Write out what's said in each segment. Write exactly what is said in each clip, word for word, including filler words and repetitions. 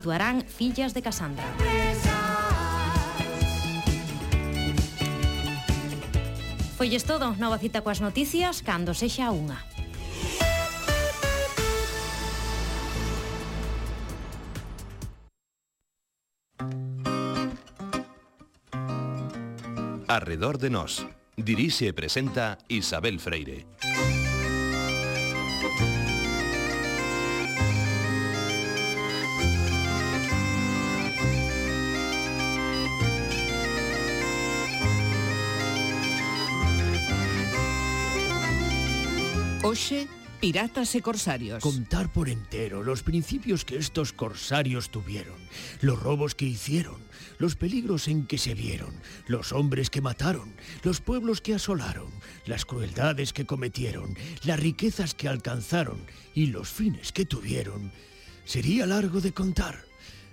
Actuarán Fillas de Casandra. Foilles todo, nova cita coas noticias cando sexa unha. Arredor de nós. Dirixe e presenta Isabel Freire. Hoxe, piratas e corsarios. Contar por entero los principios que estos corsarios tuvieron, los robos que hicieron, los peligros en que se vieron, los hombres que mataron, los pueblos que asolaron, las crueldades que cometieron, las riquezas que alcanzaron y los fines que tuvieron, sería largo de contar.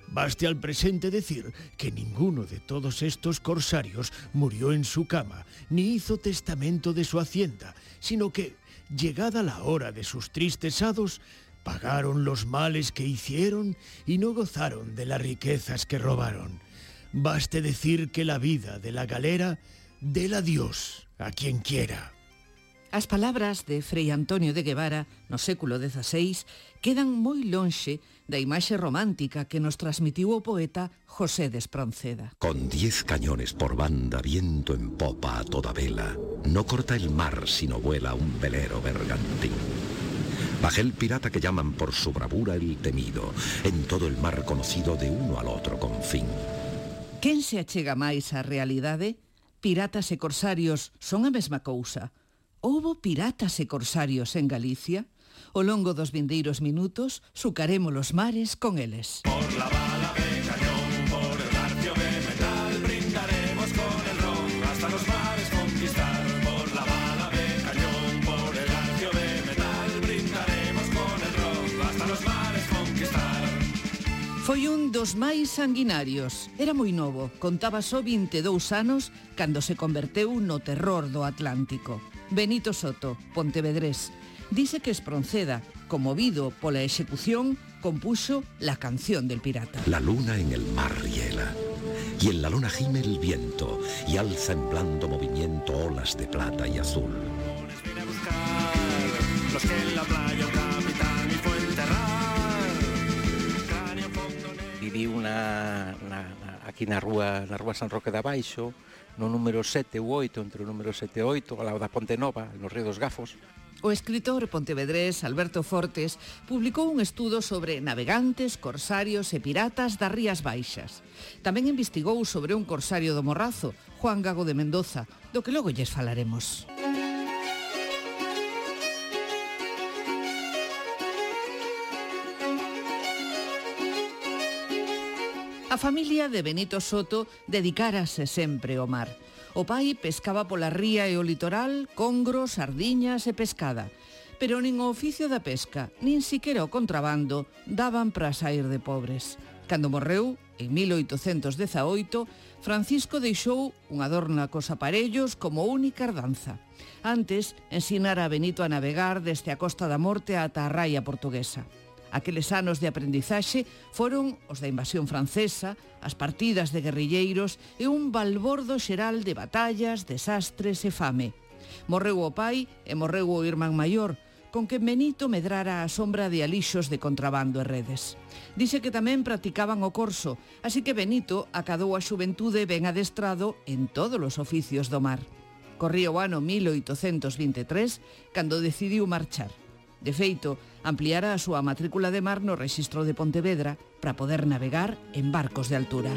Baste al presente decir que ninguno de todos estos corsarios murió en su cama, ni hizo testamento de su hacienda, sino que, llegada la hora de sus tristes hados, pagaron los males que hicieron y no gozaron de las riquezas que robaron. Baste decir que la vida de la galera déla Dios a quien quiera. As palabras de Frei Antonio de Guevara no século dezaseis quedan moi lonxe da imaxe romántica que nos transmitiu o poeta José de Espronceda. Con diez cañones por banda, viento en popa a toda vela, no corta el mar sino vuela un velero bergantín. Bajel pirata que llaman por su bravura el temido, en todo el mar conocido de uno al otro confín. Quen se achega máis á realidade? Piratas e corsarios son a mesma cousa. Houbo piratas e corsarios en Galicia? Ao longo dos vindeiros minutos, sucaremos los mares con eles. Por la bala de cañón, por el garfio de metal, brindaremos con el ron hasta los mares conquistar. Por la bala de cañón, por el garfio de metal, brindaremos con el ron hasta los mares conquistar. Foi un dos máis sanguinarios. Era moi novo, contaba só vinte e dous anos cando se converteu no terror do Atlántico. Benito Soto, pontevedrés, dice que Espronceda, conmovido pola execución, compuso la canción del pirata. La luna en el mar hiela, y en la luna gime el viento, y alza en blando movimiento olas de plata y azul. Viene a buscar los que en la playa un capitán y fue enterrar. Cráneo fondo negro. Viví una, una, aquí na rúa, na rúa San Roque de Abaixo, no número sete ou oito, entre o número sete e oito, ao lado da Ponte Nova, no Río dos Gafos. O escritor pontevedrés Alberto Fortes publicou un estudo sobre navegantes, corsarios e piratas das Rías Baixas. Tamén investigou sobre un corsario do Morrazo, Juan Gago de Mendoza, do que logo lles falaremos. A familia de Benito Soto dedicárase sempre ao mar. O pai pescaba pola ría e o litoral, congros, sardiñas e pescada. Pero nin o oficio da pesca, nin siquera o contrabando, daban para sair de pobres. Cando morreu, en mil oitocentos dezaoito, Francisco deixou un adorna cos aparellos como única herdanza. Antes, ensinara a Benito a navegar desde a Costa da Morte ata a raia portuguesa. Aqueles anos de aprendizaxe foron os da invasión francesa, as partidas de guerrilleiros e un balbordo xeral de batallas, desastres e fame. Morreu o pai e morreu o irmán maior, con que Benito medrara a sombra de alixos de contrabando e redes. Dice que tamén practicaban o corso, así que Benito acadou a xuventude ben adestrado en todos os oficios do mar. Corría o ano mil oitocentos vinte e tres cando decidiu marchar. De feito, ampliara a súa matrícula de mar no rexistro de Pontevedra para poder navegar en barcos de altura.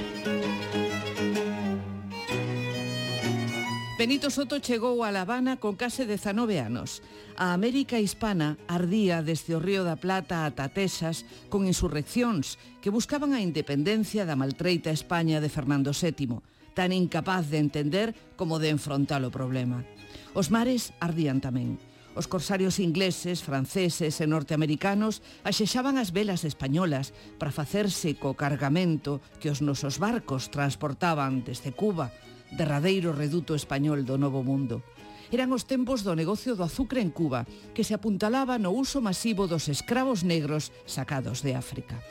Benito Soto chegou a La Habana con case dezanove anos. A América hispana ardía desde o Río da Plata ata Texas con insurreccións que buscaban a independencia da maltreita España de Fernando sétimo, tan incapaz de entender como de enfrontar o problema. Os mares ardían tamén. Os corsarios ingleses, franceses e norteamericanos axexaban as velas españolas para facerse co cargamento que os nosos barcos transportaban desde Cuba, derradeiro reduto español do Novo Mundo. Eran os tempos do negocio do azucre en Cuba, que se apuntalaba no uso masivo dos escravos negros sacados de África.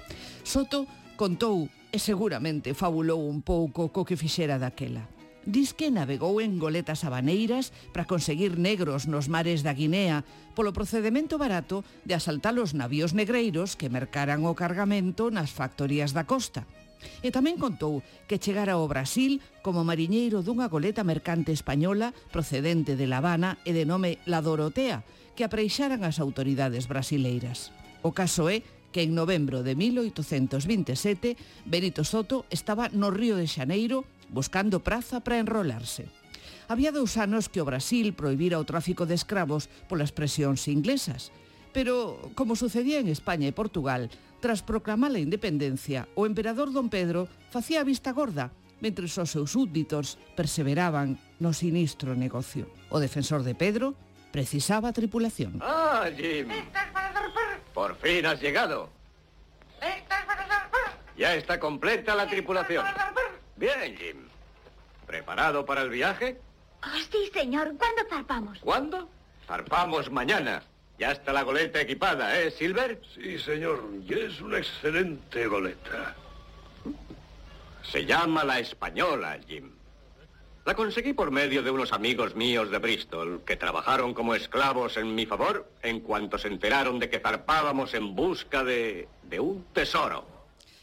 Soto Contou e seguramente fabulou un pouco co que fixera daquela. Diz que navegou en goletas habaneiras para conseguir negros nos mares da Guinea polo procedemento barato de asaltar os navíos negreiros que mercaran o cargamento nas factorías da costa. E tamén contou que chegara ao Brasil como mariñeiro dunha goleta mercante española procedente de La Habana e de nome La Dorotea, que apreixaran as autoridades brasileiras. O caso é que en novembro de mil oitocentos vinte e sete Benito Soto estaba no Río de Xaneiro buscando praza para enrolarse. Había dous anos que o Brasil prohibira o tráfico de escravos polas presións inglesas, pero, como sucedía en España e Portugal, tras proclamar a independencia, o emperador Don Pedro facía a vista gorda, mentre os seus súbditos perseveraban no sinistro negocio. O defensor de Pedro precisaba tripulación. ¡Ah, Jim! Por fin has llegado. Ya está completa la tripulación. Bien, Jim. ¿Preparado para el viaje? Oh, sí, señor. ¿Cuándo zarpamos? ¿Cuándo? Zarpamos mañana. Ya está la goleta equipada, ¿eh, Silver? Sí, señor. Y es una excelente goleta. Se llama la Española, Jim. La conseguí por medio de unos amigos míos de Bristol, que trabajaron como esclavos en mi favor en cuanto se enteraron de que zarpábamos en busca de, de un tesoro.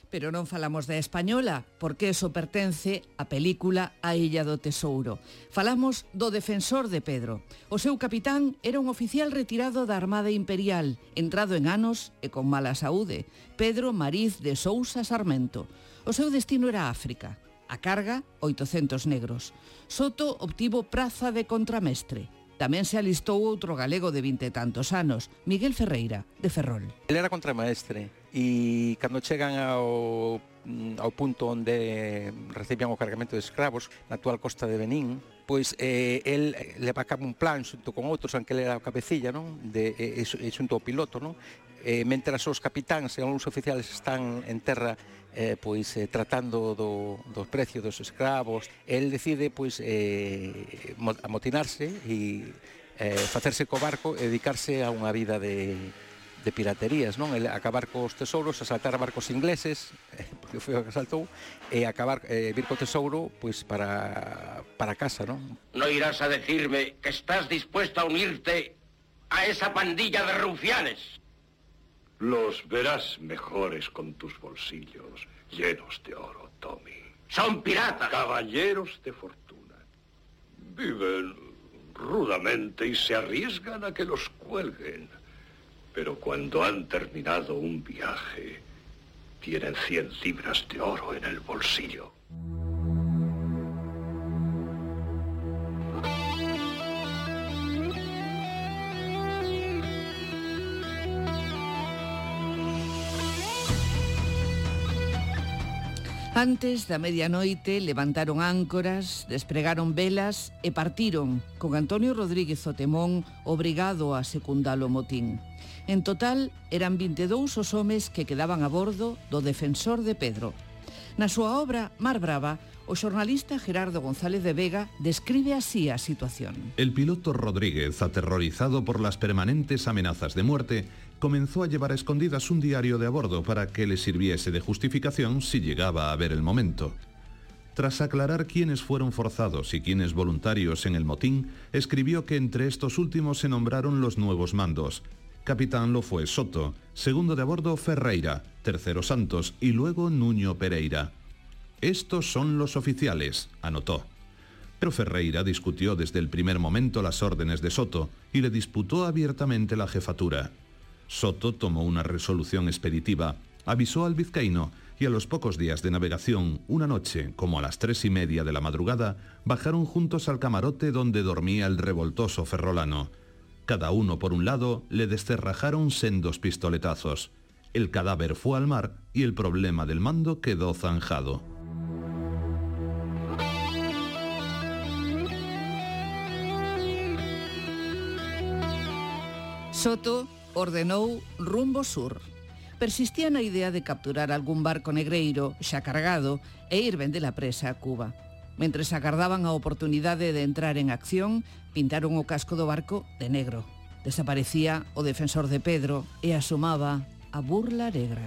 Pero non falamos da Española, porque eso pertence á película A Illa do Tesouro. Falamos do defensor de Pedro. O seu capitán era un oficial retirado da Armada Imperial, entrado en anos e con mala saúde, Pedro Mariz de Sousa Sarmento. O seu destino era África. A carga, oitocentos negros. Soto obtivo praza de contramestre. Tamén se alistou outro galego de vinte e tantos anos, Miguel Ferreira, de Ferrol. Ele era contramaestre e cando chegan ao, ao punto onde recibían o cargamento de escravos na actual costa de Benín, pois eh, el leva a cabo un plan xunto con outros, aunque ele era o cabecilla, non? De, e, e xunto ao piloto, non? Eh, mentras os capitáns e algúns oficiales están en terra eh, pois eh, tratando do, do precio dos escravos, el decide pois eh, amotinarse e eh, facerse co barco e dedicarse a unha vida de, de piraterías, non? El acabar cos tesouros, asaltar barcos ingleses, eh, porque foi o que asaltou, e acabar eh, vir co tesouro pois para para casa, non? No irás a decirme que estás dispuesto a unirte a esa pandilla de rufianes. Los verás mejores con tus bolsillos llenos de oro, Tommy. ¡Son piratas! Caballeros de fortuna. Viven rudamente y se arriesgan a que los cuelguen. Pero cuando han terminado un viaje, tienen cien libras de oro en el bolsillo. Antes da medianoite levantaron áncoras, despregaron velas e partiron con Antonio Rodríguez Otemón obrigado a secundar o motín. En total eran vinte e dous os homes que quedaban a bordo do defensor de Pedro. Na súa obra Mar Brava, o xornalista Gerardo González de Vega describe así a situación. El piloto Rodríguez, aterrorizado por las permanentes amenazas de muerte, comenzó a llevar a escondidas un diario de a bordo para que le sirviese de justificación si llegaba a ver el momento. Tras aclarar quiénes fueron forzados y quiénes voluntarios en el motín, escribió que entre estos últimos se nombraron los nuevos mandos. Capitán lo fue Soto, segundo de a bordo Ferreira, tercero Santos y luego Nuño Pereira. Estos son los oficiales, anotó. Pero Ferreira discutió desde el primer momento las órdenes de Soto y le disputó abiertamente la jefatura. Soto tomó una resolución expeditiva, avisó al vizcaíno y a los pocos días de navegación, una noche, como a las tres y media de la madrugada, bajaron juntos al camarote donde dormía el revoltoso ferrolano. Cada uno por un lado le descerrajaron sendos pistoletazos. El cadáver fue al mar y el problema del mando quedó zanjado. Soto ordenou rumbo sur. Persistía na idea de capturar algún barco negreiro xa cargado e ir vender a presa a Cuba. Mentres agardaban a oportunidade de entrar en acción, pintaron o casco do barco de negro. Desaparecía o defensor de Pedro e asomaba a burla negra.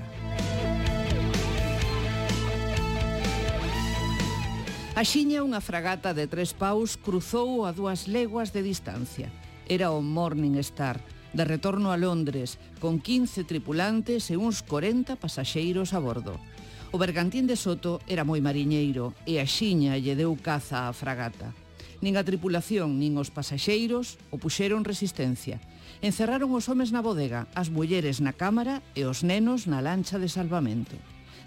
Axiña unha fragata de tres paus cruzou a dúas leguas de distancia. Era o Morning Star, de retorno a Londres, con quince tripulantes e uns corenta pasaxeiros a bordo. O bergantín de Soto era moi mariñeiro e axiña lle deu caza á fragata. Nin a tripulación nin os pasaxeiros o puxeron resistencia. Encerraron os homes na bodega, as mulleres na cámara e os nenos na lancha de salvamento.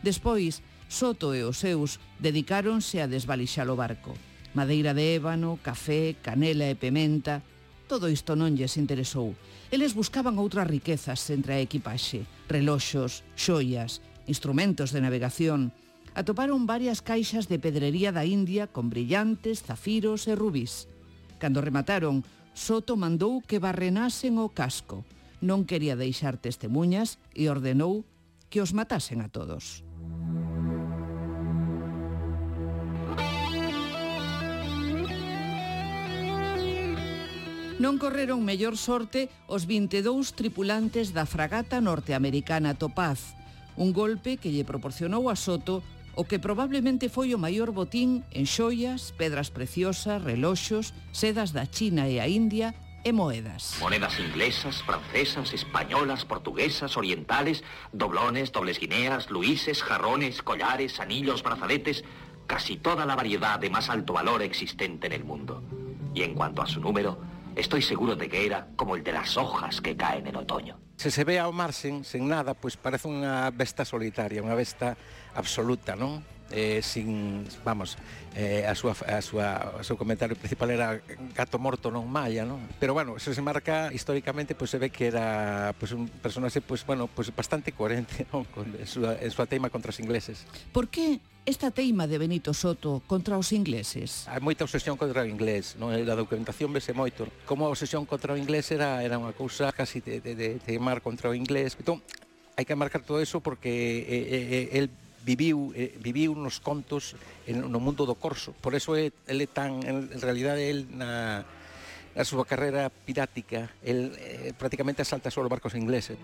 Despois, Soto e os seus dedicáronse a desvalixar o barco. Madeira de ébano, café, canela e pementa... Todo isto non lles interesou. Eles buscaban outras riquezas entre a equipaxe, reloxos, xoias, instrumentos de navegación. Atoparon varias caixas de pedrería da India con brillantes, zafiros e rubís. Cando remataron, Soto mandou que barrenasen o casco. Non quería deixar testemunhas e ordenou que os matasen a todos. Non correron mellor sorte os vinte e dous tripulantes da fragata norteamericana Topaz, un golpe que lle proporcionou a Soto o que probablemente foi o maior botín en xoias, pedras preciosas, reloxos, sedas da China e a India e moedas. Monedas inglesas, francesas, españolas, portuguesas, orientales, doblones, dobles guineas, luises, jarrones, collares, anillos, brazaletes, casi toda la variedad de más alto valor existente en el mundo. Y en cuanto a su número, estoy seguro de que era como el de las hojas que caen en otoño. Se se ve ao mar sen, sen nada, pois parece unha besta solitaria, unha besta absoluta, non? Eh, sin, vamos, eh, a súa, a súa, o seu comentario principal era gato morto non malla, non? Pero bueno, eso se marca históricamente, pois se ve que era pois un personaxe, pois bueno, pois bastante coherente, non? Con a súa, a súa teima contra os ingleses. Por que esta teima de Benito Soto contra os ingleses? Hai moita obsesión contra o inglés, non? A documentación vese moito. Como a obsesión contra o inglés era, era unha cousa casi de, de, de teimar contra o inglés. Entón, hai que marcar todo eso porque eh, eh, el viviu, eh, viviu nos contos en, no mundo do corso. Por eso é, ele tan, en, en realidade, el na, na súa carreira pirática, el eh, prácticamente asalta só os barcos ingleses.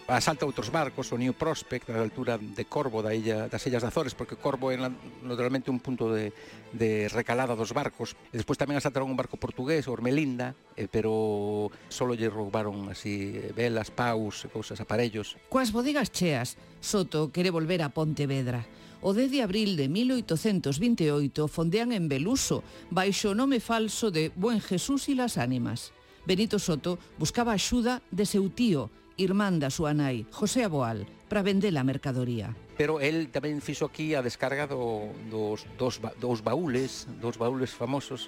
Asalta outros barcos, o New Prospect, a altura de Corvo, da illa, das Illas de Azores, porque Corvo é naturalmente un punto de, de recalada dos barcos. E despois tamén asaltaron un barco portugués, o Ormelinda, eh, pero solo lle roubaron así velas, paus, cousas, aparellos. Coas bodegas cheas, Soto quere volver a Pontevedra. O dez de abril de mil oitocentos vinte e oito fondean en Beluso, baixo o nome falso de Buen Jesús y las Ánimas. Benito Soto buscaba axuda de seu tío, irmán da súa nai, José Aboal, para vender a mercadoría. Pero el tamén fixo aquí a descarga do, dos, dos, dos baúles, dos baúles famosos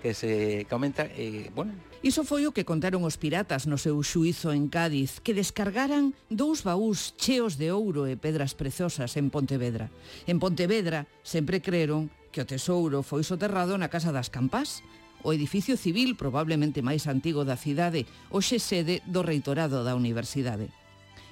que se comenta, e, bueno... Iso foi o que contaron os piratas no seu xuízo en Cádiz, que descargaran dous baús cheos de ouro e pedras prezosas en Pontevedra. En Pontevedra sempre creron que o tesouro foi soterrado na Casa das Campás, o edificio civil probablemente máis antigo da cidade, hoxe sede do reitorado da universidade.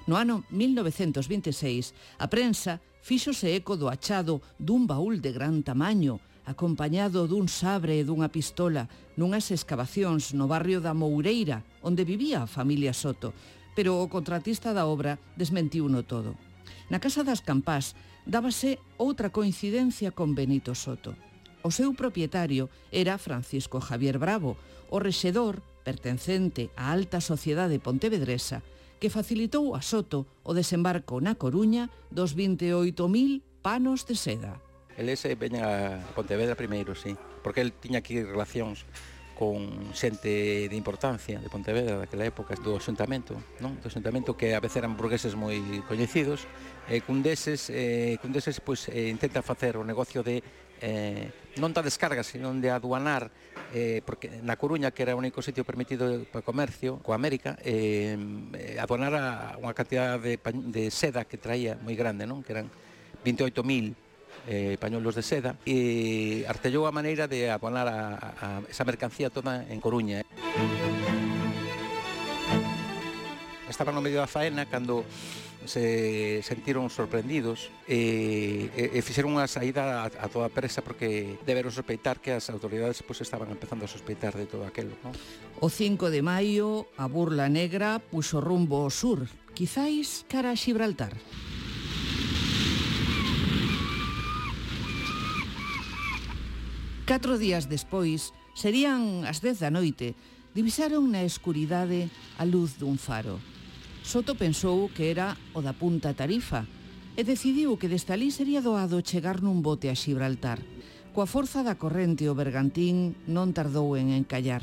No ano mil novecentos vinte e seis, a prensa fíxose eco do achado dun baúl de gran tamaño, acompañado dun sabre e dunha pistola, nunhas excavacións no barrio da Moureira, onde vivía a familia Soto, pero o contratista da obra desmentiuno todo. Na Casa das Campás dábase outra coincidencia con Benito Soto. O seu propietario era Francisco Javier Bravo, o rexedor pertencente á alta sociedade pontevedresa, que facilitou a Soto o desembarco na Coruña dos vinte e oito mil panos de seda. El ese veña a Pontevedra primeiro, sí, porque el tiña aquí relacións con xente de importancia de Pontevedra daquela época, do xuntamento, non? Do xuntamento que a veces eran burgueses moi coñecidos, e cun deses, eh, cun deses pois, eh, intenta facer o negocio de eh, non da descarga, sino de aduanar, eh, porque na Coruña, que era o único sitio permitido para comercio coa América, eh, aduanar a unha cantidad de, de seda que traía moi grande, non? Que eran vinte e oito mil eh, pañuelos de seda, e artellou a maneira de aduanar a, a esa mercancía toda en Coruña. estaban no medio da faena cando se sentiron sorprendidos e, e, e fixeron unha saída a, a toda presa porque deberon sospeitar que as autoridades pues, estaban empezando a sospeitar de todo aquelo, ¿no? O cinco de maio, a Burla Negra puxo rumbo ao sur, quizáis cara a Xibraltar. Catro días despois, serían as dez da noite, divisaron na escuridade a luz dun faro. Soto pensou que era o da Punta Tarifa e decidiu que deste alí sería doado chegar nun bote a Xibraltar. Coa forza da corrente o bergantín non tardou en encallar.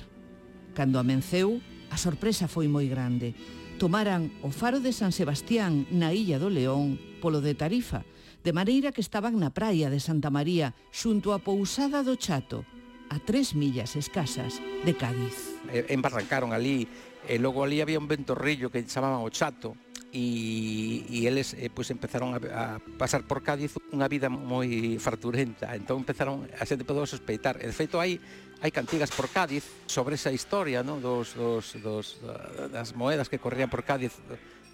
Cando amenceu, a sorpresa foi moi grande. Tomaran o faro de San Sebastián na Illa do León polo de Tarifa, de maneira que estaban na praia de Santa María xunto a Pousada do Chato, a tres millas escasas de Cádiz. Embarrancaron ali, e logo ali había un ventorrillo que chamaban o Chato, e, e eles eh, pues, empezaron a, a pasar por Cádiz unha vida moi farturenta, entón empezaron, a xente podeu sospeitar, e de feito hai hai cantigas por Cádiz sobre esa historia, ¿no? dos, dos, dos, das moedas que corrían por Cádiz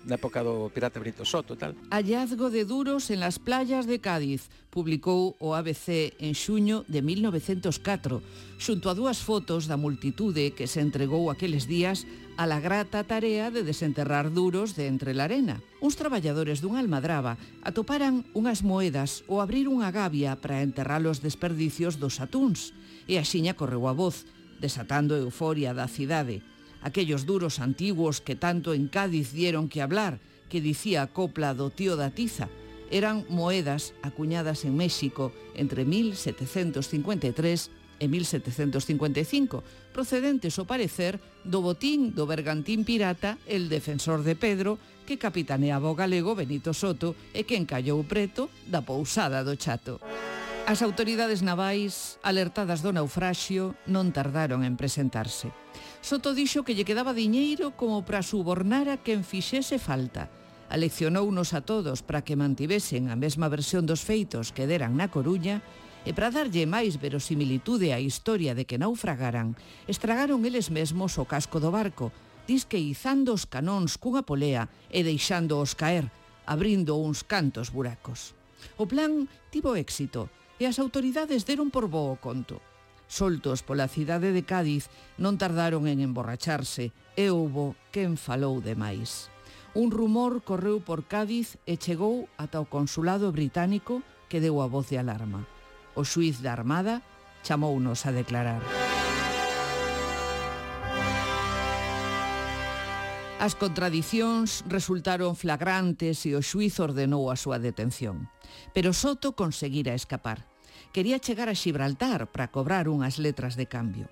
na época do pirata Benito Soto, tal. Hallazgo de duros en las playas de Cádiz, publicou o A B C en xuño de mil novecentos catro, xunto a dúas fotos da multitude que se entregou aqueles días a la grata tarea de desenterrar duros de entre la arena. Uns traballadores dunha almadraba atoparan unhas moedas ou abrir unha gavia para enterrar os desperdicios dos atúns, e axiña correu a voz, desatando a euforia da cidade. Aquellos duros antiguos que tanto en Cádiz dieron que hablar, que dicía a copla do tío da tiza, eran moedas acuñadas en México entre mil setecentos cincuenta e tres e mil setecentos cincuenta e cinco, procedentes, ao parecer, do botín do bergantín pirata El Defensor de Pedro, que capitaneaba o galego Benito Soto e que encallou preto da Pousada do Chato. As autoridades navais, alertadas do naufraxio, non tardaron en presentarse. Soto dixo que lle quedaba diñeiro como para subornar a quen fixese falta. Aleccionounos a todos para que mantivesen a mesma versión dos feitos que deran na Coruña e para darlle máis verosimilitude á historia de que naufragaran, estragaron eles mesmos o casco do barco, disque izando os canóns cunha polea e deixándoos caer, abrindo uns cantos buracos. O plan tivo éxito e as autoridades deron por bo o conto. Soltos pola cidade de Cádiz, non tardaron en emborracharse e houbo quen falou demais. Un rumor correu por Cádiz e chegou ata o consulado británico que deu a voz de alarma. O xuíz da Armada chamounos a declarar. As contradicións resultaron flagrantes e o xuíz ordenou a súa detención. Pero Soto conseguira escapar. Quería chegar a Xibraltar para cobrar unhas letras de cambio.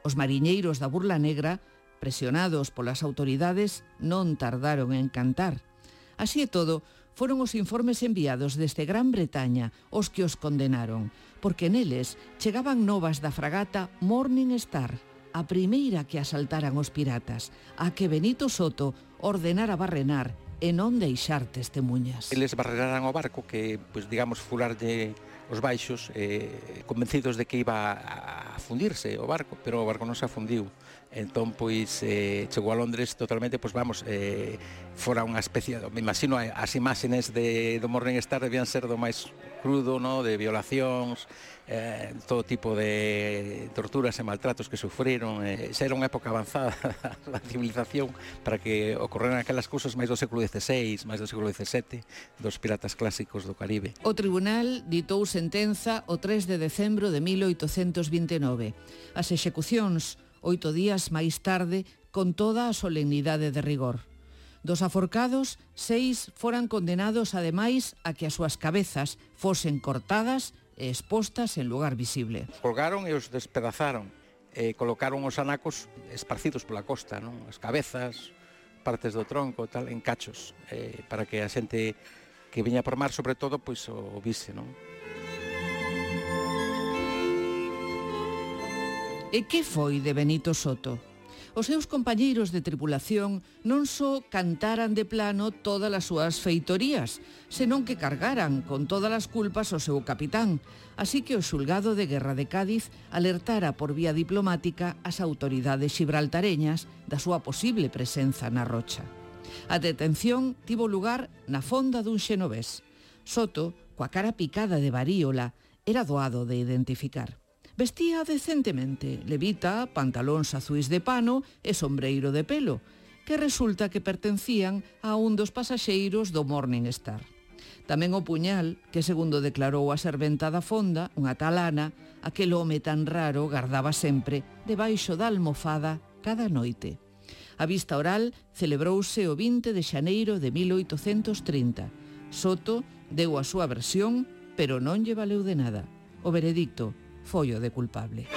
Os mariñeiros da Burla Negra, presionados polas autoridades, non tardaron en cantar. Así e todo, foron os informes enviados desde Gran Bretaña os que os condenaron, porque neles chegaban novas da fragata Morning Star, a primeira que asaltaran os piratas, a que Benito Soto ordenara barrenar e non deixar testemunhas. Eles barreraran o barco que, pues, digamos, fularlle os baixos, eh, convencidos de que iba a fundirse o barco, pero o barco non se afundiu. Entón, pois, eh, chegou a Londres totalmente, pois vamos, eh, fora unha especie, me imagino, as imágenes de, do Morning Star debían ser do máis crudo, no? De violacións, eh, todo tipo de torturas e maltratos que sufriron. Eh, xa era unha época avanzada da civilización para que ocorreran aquelas cousas máis do século dieciséis, máis do século diecisiete, dos piratas clásicos do Caribe. O tribunal ditou sentenza o tres de decembro de mil oitocentos vinte e nove. As execucións oito días máis tarde, con toda a solemnidade de rigor. Dos aforcados, seis foran condenados ademais a que as súas cabezas fosen cortadas e expostas en lugar visible. Colgaron e os despedazaron, e colocaron os anacos esparcidos pola costa, non? As cabezas, partes do tronco, tal, en cachos, eh, para que a xente que viña por mar, sobre todo, pois o vise, non? E que foi de Benito Soto? Os seus compañeiros de tripulación non só cantaran de plano todas as súas feitorías, senón que cargaran con todas as culpas ao seu capitán, así que o xulgado de guerra de Cádiz alertara por vía diplomática as autoridades xibraltareñas da súa posible presenza na rocha. A detención tivo lugar na fonda dun xenovés. Soto, coa cara picada de varíola, era doado de identificar. Vestía decentemente, levita, pantalóns azuis de pano e sombreiro de pelo, que resulta que pertencían a un dos pasaxeiros do Morning Star. Tamén o puñal, que segundo declarou a serventa da fonda, unha talana, aquel home tan raro gardaba sempre debaixo da almofada cada noite. A vista oral celebrouse o vinte de xaneiro de mil oitocentos trinta. Soto deu a súa versión, pero non lle valeu de nada. O veredicto foi o de culpable.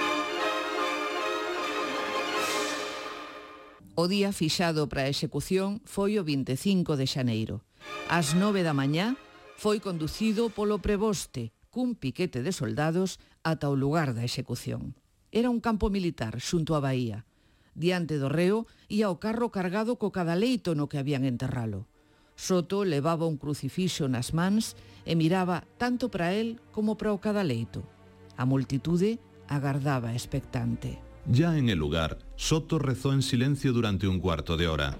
O día fixado para a execución foi o vinte e cinco de xaneiro. Ás nove da mañá foi conducido polo preboste cun piquete de soldados ata o lugar da execución. Era un campo militar xunto á baía. Diante do reo ía o carro cargado co cadaleito no que habían enterralo. Soto levaba un crucifixo nas mans e miraba tanto para él como para o cadaleito. A multitude agardaba expectante. Ya en el lugar, Soto rezó en silencio durante un cuarto de hora.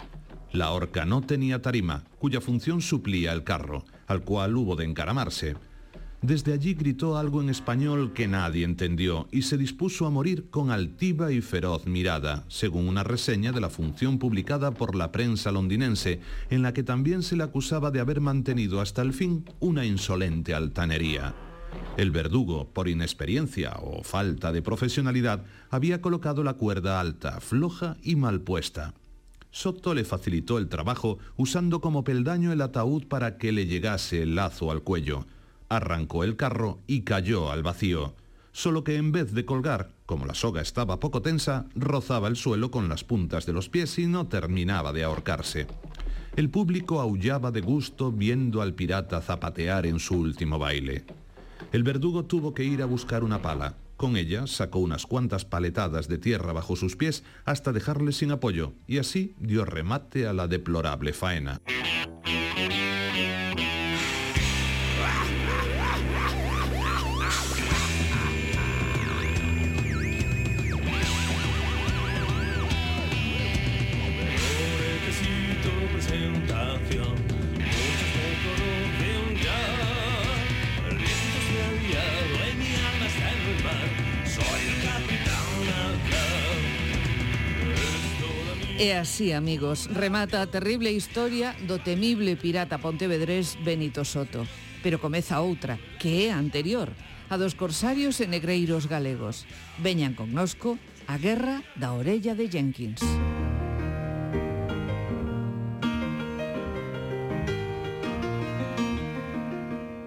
La horca no tenía tarima, cuya función suplía el carro, al cual hubo de encaramarse. Desde allí gritó algo en español que nadie entendió y se dispuso a morir con altiva y feroz mirada, según una reseña de la función publicada por la prensa londinense, en la que también se le acusaba de haber mantenido hasta el fin una insolente altanería. El verdugo, por inexperiencia o falta de profesionalidad, había colocado la cuerda alta, floja y mal puesta. Soto le facilitó el trabajo usando como peldaño el ataúd para que le llegase el lazo al cuello. Arrancó el carro y cayó al vacío. Solo que en vez de colgar, como la soga estaba poco tensa, rozaba el suelo con las puntas de los pies y no terminaba de ahorcarse. El público aullaba de gusto viendo al pirata zapatear en su último baile. El verdugo tuvo que ir a buscar una pala. Con ella sacó unas cuantas paletadas de tierra bajo sus pies hasta dejarle sin apoyo, y así dio remate a la deplorable faena. E así, amigos, remata a terrible historia do temible pirata pontevedrés Benito Soto. Pero comeza outra, que é anterior, a dos corsarios e negreiros galegos. Veñan connosco a Guerra da Orella de Jenkins.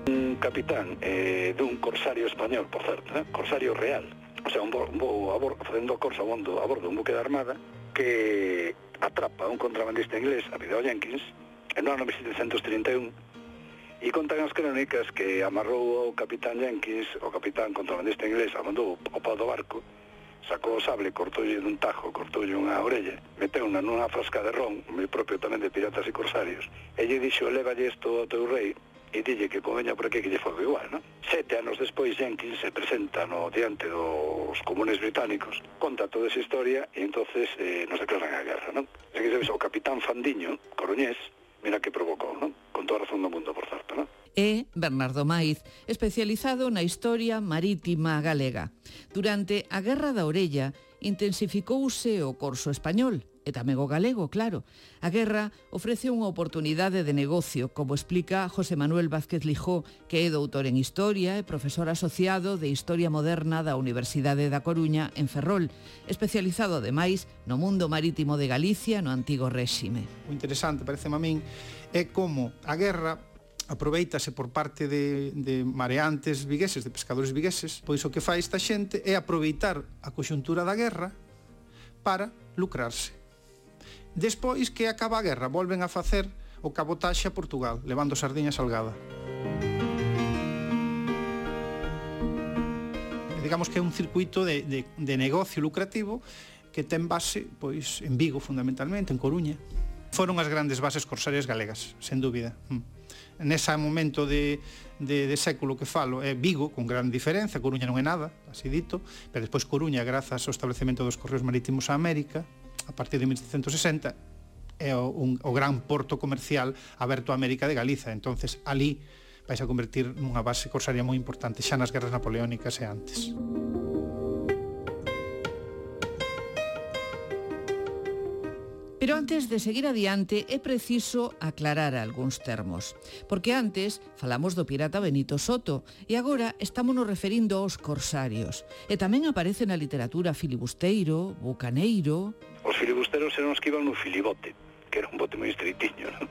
Un capitán eh, dun corsario español, por certo, eh? corsario real, o sea, un bo, un bo a bordo, facendo corsa a bordo, a bordo un buque de armada, que atrapa a un contrabandista inglés, apellido Jenkins, en no ano mil setecentos trinta e un, e contan as crónicas que amarrou o capitán Jenkins, o capitán contrabandista inglés, abandou o pau do barco, sacou o sable, cortoulle dun tajo, cortoulle unha orella, meteu unha nunha frasca de ron, moi propio tamén de piratas e corsarios, e lle dixo, lévalle isto ao teu rei, e dille que conveña por aquí que lle foi igual, non? Sete anos despois, Jenkins se presenta no diante dos comunes británicos, conta toda esa historia e entonces eh, nos declaran a guerra, non? Se que sabes, o capitán Fandiño, coruñés, mira que provocou, non? Con toda a razón do mundo, por certo, non? É Bernardo Maiz, especializado na historia marítima galega. Durante a Guerra da Orella intensificouse o corso español, e tamén o galego, claro. A guerra ofrece unha oportunidade de negocio, como explica José Manuel Vázquez Lijó, que é doutor en Historia e profesor asociado de Historia Moderna da Universidade da Coruña en Ferrol, especializado ademais no mundo marítimo de Galicia no antigo réxime. O interesante, parece a min, é como a guerra aproveitase por parte de, de mareantes vigueses, de pescadores vigueses, pois o que fai esta xente é aproveitar a coxuntura da guerra para lucrarse. Despois que acaba a guerra, volven a facer o cabotaxe a Portugal, levando sardiña salgada. Digamos que é un circuito de, de, de negocio lucrativo que ten base pois, en Vigo, fundamentalmente, en Coruña. Foron as grandes bases corsarias galegas, sen dúbida. Nese momento de, de, de século que falo é Vigo, con gran diferencia, Coruña non é nada, así dito, pero despois Coruña, grazas ao establecemento dos correos marítimos a América, a partir de mil setecentos sesenta, é o, un, o gran porto comercial aberto a América de Galiza. Entonces, ali vais a convertir nunha base corsaria moi importante xa nas guerras napoleónicas e antes. Pero antes de seguir adiante é preciso aclarar algúns termos, porque antes falamos do pirata Benito Soto e agora estamos nos referindo aos corsarios. E tamén aparece na literatura filibusteiro, bucaneiro... Os filibusteros eran os que iban no filibote, que era un bote moi estreitiño, non?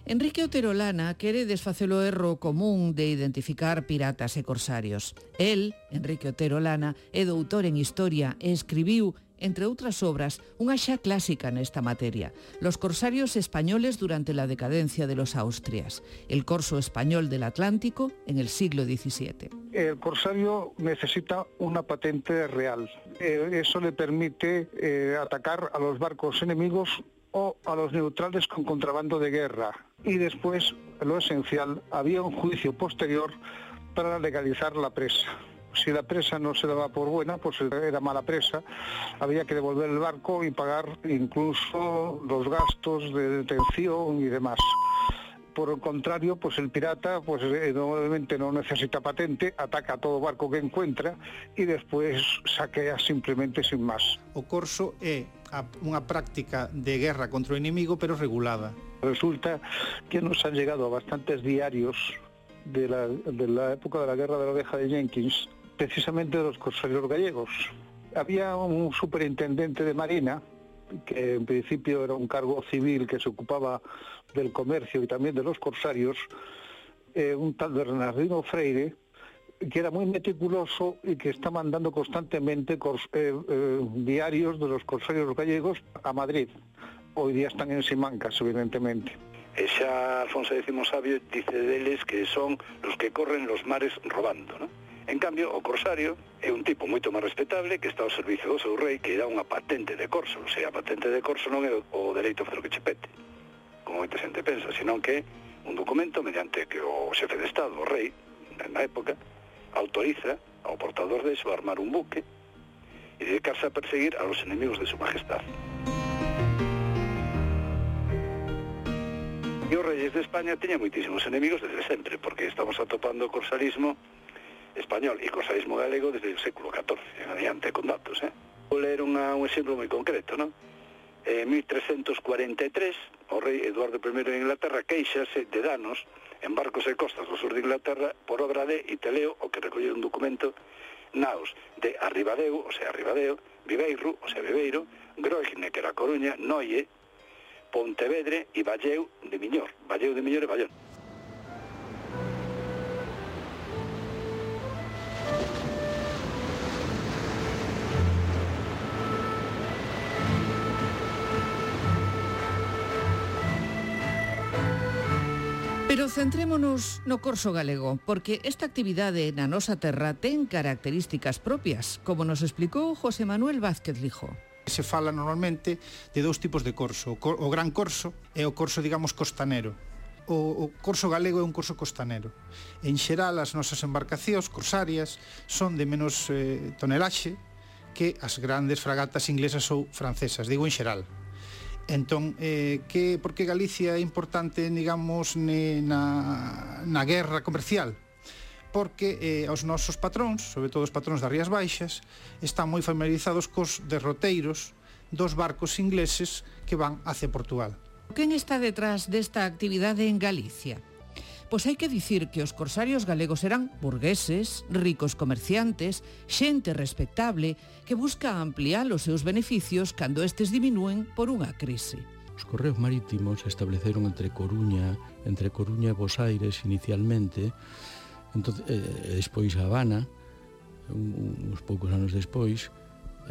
Enrique Otero Lana quere desfacer o erro común de identificar piratas e corsarios. El, Enrique Otero Lana, é doutor en Historia e escribiu, entre outras obras, unha xa clásica nesta materia, Los corsarios españoles durante la decadencia de los Austrias, el corso español del Atlántico en el siglo diecisiete. El corsario necesita una patente real. Eh, eso le permite eh, atacar a los barcos enemigos o a los neutrales con contrabando de guerra. Y después, lo esencial, había un juicio posterior para legalizar la presa. Si la presa no se daba por buena, pues era mala presa, había que devolver el barco y pagar incluso los gastos de detención y demás. Por el contrario, pues el pirata pues normalmente no necesita patente, ataca a todo barco que encuentra y después saquea simplemente sin más. O corso é unha práctica de guerra contra o inimigo, pero regulada. Resulta que nos han llegado bastantes diarios de la, de la época de la guerra de la oveja de Jenkins, precisamente de los corsarios gallegos. Había un superintendente de Marina, que en principio era un cargo civil que se ocupaba del comercio y también de los corsarios, eh, un tal Bernardino Freire, que era muy meticuloso y que está mandando constantemente cors, eh, eh, diarios de los corsarios gallegos a Madrid. Hoy día están en Simancas, evidentemente. E xa Alfonso décimo Sabio dice deles que son los que corren los mares robando, ¿no? En cambio, o corsario é un tipo moito máis respetable que está ao servicio do seu rei, que dá unha patente de corso. O sea, a patente de corso non é o dereito a facer o que che pete, como moita xente pensa, senón que un documento mediante que o xefe de Estado, o rei, na época, autoriza ao portador de eso a armar un buque e dedicarse a perseguir a los enemigos de su majestad. E os reyes de España teñan moitísimos enemigos desde sempre, porque estamos atopando o corsarismo español e corsarismo galego desde o século catorce, en adiante con datos, eh? Vou ler unha, un exemplo moi concreto, non? En mil trescentos cuarenta e tres, o rei Eduardo primeiro de Inglaterra queixase de danos en barcos e costas do sur de Inglaterra por obra de, e te leo o que recolleu un documento, naos de Arribadeu, o sea, Arribadeo, Viveiro, o sea, Viveiro, Groigne, que era Coruña, Noie, Pontevedre e Valleu de Miñor, Valleu de Miñor e Ballón. Pero centrémonos no corso galego, porque esta actividade na nosa terra ten características propias, como nos explicou José Manuel Vázquez Lijo. Se fala normalmente de dous tipos de corso, o gran corso e o corso, digamos, costanero. O, o corso galego é un corso costanero. En xeral, as nosas embarcacións corsarias son de menos eh, tonelaxe que as grandes fragatas inglesas ou francesas, digo en xeral. Entón, eh, que, por que Galicia é importante, digamos, ne, na, na guerra comercial? Porque eh, os nosos patróns, sobre todo os patróns das Rías Baixas, están moi familiarizados cos derroteiros dos barcos ingleses que van hacia Portugal. Quen está detrás desta actividade en Galicia? Pois hai que dicir que os corsarios galegos eran burgueses, ricos comerciantes, xente respectable que busca ampliar os seus beneficios cando estes diminúen por unha crise. Os correos marítimos se estableceron entre Coruña, entre Coruña e Bos Aires inicialmente, entón, eh, despois a Habana, un, uns poucos anos despois,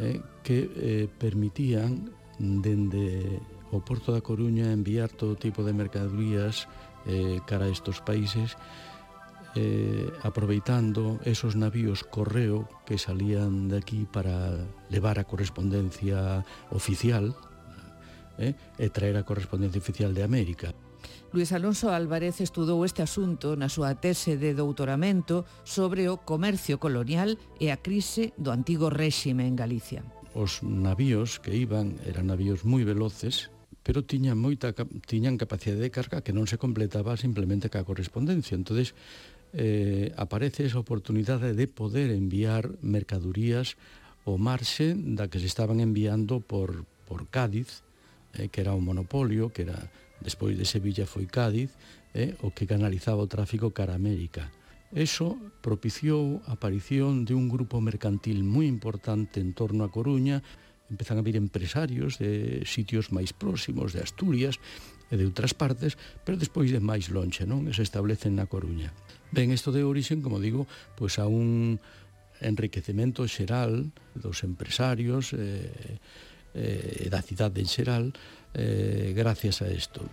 eh, que eh, permitían dende o Porto da Coruña enviar todo tipo de mercadorías eh, cara a estos países, eh, aproveitando esos navíos correo que salían de aquí para levar a correspondencia oficial eh, e traer a correspondencia oficial de América. Luis Alonso Álvarez estudou este asunto na súa tese de doutoramento sobre o comercio colonial e a crise do antigo réxime en Galicia. Os navíos que iban eran navíos moi veloces, pero tiñan moita tiñan capacidade de carga que non se completaba simplemente ca correspondencia. Entonces eh, aparece esa oportunidade de poder enviar mercadurías ao marxe da que se estaban enviando por, por Cádiz, eh, que era un monopolio, que era despois de Sevilla foi Cádiz, eh, o que canalizaba o tráfico cara a América. Eso propiciou a aparición de un grupo mercantil moi importante en torno a Coruña. Empezan a vir empresarios de sitios máis próximos, de Asturias e de outras partes, pero despois de máis lonxe, non? E se establecen na Coruña. Ben, isto de orixen, como digo, pois a un enriquecemento xeral dos empresarios e eh, eh, da cidade en xeral eh, gracias a isto.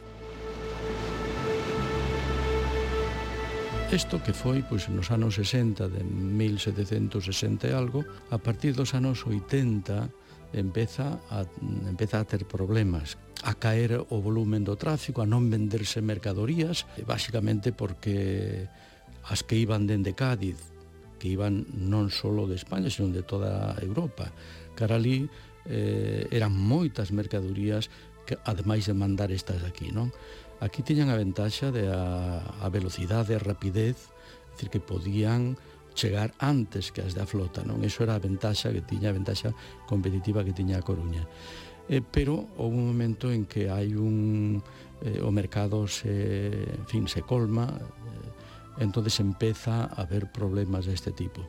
Isto que foi pois, nos anos sesenta de mil setecentos sesenta e algo, a partir dos anos oitenta empeza a, empeza a ter problemas, a caer o volumen do tráfico, a non venderse mercadorías, basicamente porque as que iban dende Cádiz, que iban non só de España, sino de toda Europa, cara ali eh, eran moitas mercadorías que, ademais de mandar estas aquí, non? Aquí tiñan a ventaxa de a, a velocidade, a rapidez, é dicir, que podían chegar antes que as da flota, non? Eso era a ventaxa que tiña, a ventaxa competitiva que tiña a Coruña. Eh, pero houve un momento en que hai un eh, o mercado se, en fin, se colma, eh, entonces empeza a haber problemas deste tipo.